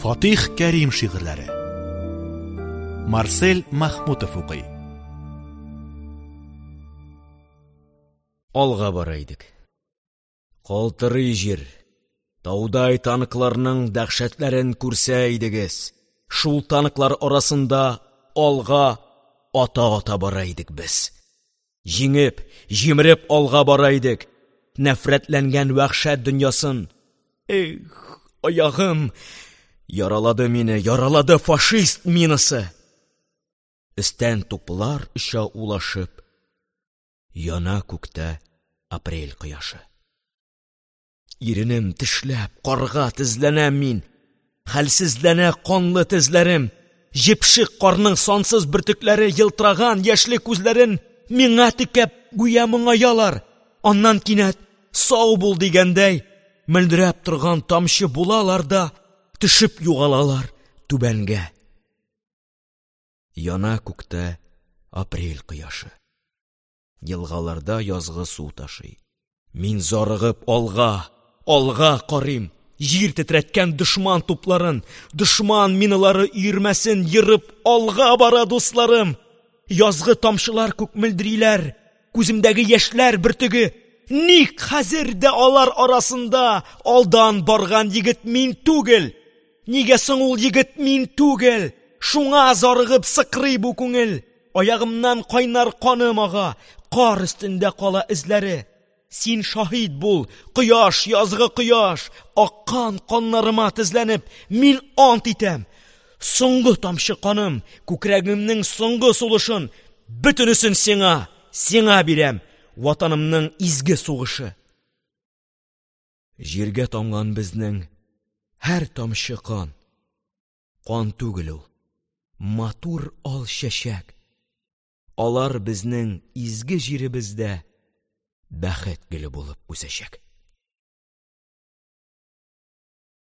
Фатих Кәрим шигырьләре. Марсель Махмутов укый. Алга бара идек. Калтырый җир. Таудай танкларның дәһшәтләрен күрсә идегез. Шул танклар арасында алга ата-ата бара идек без. Җиңеп, җимереп алга бара идек. Нәфрәтләнгән вәхшәт дөньясын. Эх, аягым! Яралады мине, яралады фашист минасы. Өстән туплар оча улашып, яна күктә апрель кояшы. Иренем тешләп, карга тезләнәм мин. Хәлсезләнә канлы тезләрем. Җепшек карның сансыз бөртекләре елтыраган яшьле күзләрен миңа текәп гүя моңаялар. Аннан кинәт сау бул дигәндәй, мөлдерәп торган тамчы булалар да төшеп югалалар түбәнгә. Яна күктә апрель кояшы. Елгаларда язгы су ташый. Мин зарыгып алга, алга карыйм. Җир тетрәткән дошман тупларын, дошман миналары өермәсен ерып алга бара дусларым. Язгы тамчылар күк мөлдериләр, күземдәге яшьләр бөртеге. Ник хәзер дә алар арасында алдан барган егет мин түгел? Нигә соң ул егет мин түгел? Шуңа зарыгып сыкрый бу күңел. Аягымнан кайнар каным ага, кар өстендә кала эзләре. Син шаһит бул, кояш, язгы кояш, аккан каннарыма тезләнеп, мин ант итәм. Соңгы тамчы каным, күкрәгемнең соңгы сулышын, бөтенесен сиңа, сиңа бирәм, ватанымның изге сугышы. Җиргә тамган безнең һәр тамчы кан. Кан түгел ул, матур ал чәчәк. Алар безнең изге җиребездә бәхет гөле булып үсәчәк.